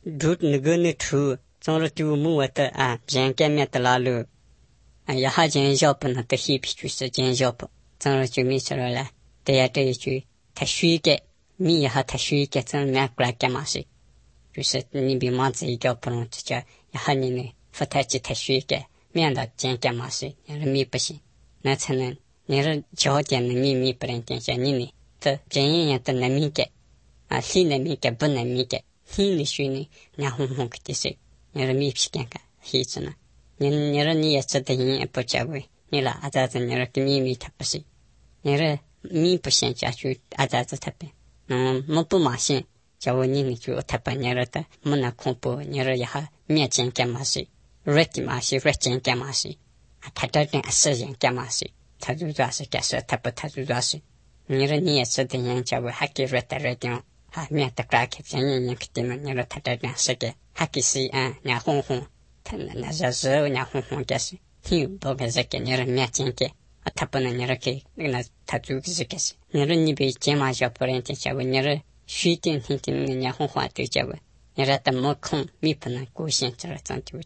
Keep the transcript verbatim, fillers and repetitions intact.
दूध नगने ठू चोर टू मुवत आ जेंके मेत लालु आ यहा जें जॉब न त ही पिचु से जें जॉब चोर चु मी चला ते या ते चु तशुई के मी यहा तशुई के चोर मैं क्ला के मासी जुसे नि बि मा से के अपन च यहा नि ने फताची तशुई के मी अंदा जें के मासी या मी पसी न छन नेर जो के मी मी परन के नि नि त जें या त नमी के आ सी नमी के बन नमी के ही नि शुनी न्या हूं हूं के से नेर मी पिके का ही चना नेर नि या च त ही पचावे नेला आजा त नेर के मी मी tapasi नेर मी पसे चा छु आजा त tapे न म पु मासे जाव नि नि छु tapा नेर त मना खोपो नेर यहा मी चें के मासे रेति मासे रेचें के मासे आ खाता ने असजें के मासे थाजु जासे के स tapा थाजु जासे नेर नि या च त ही जाव हाके रेता रेतियो ha mi ta ka ke chen yin ke tin ne ra ta ta na se ke ha ki si a nya hong hong tan na za zo nya hong hong ke si hi bo ke ze ke ne ra mi chen ke a ta pa na ne ra ke na ta ju ke se ke si ne ra ni be che ma ja por en che cha ne ra shi tin tin nya hong hong te cha ne ra ta mo khong mi pa na ko shen cha ra chan chu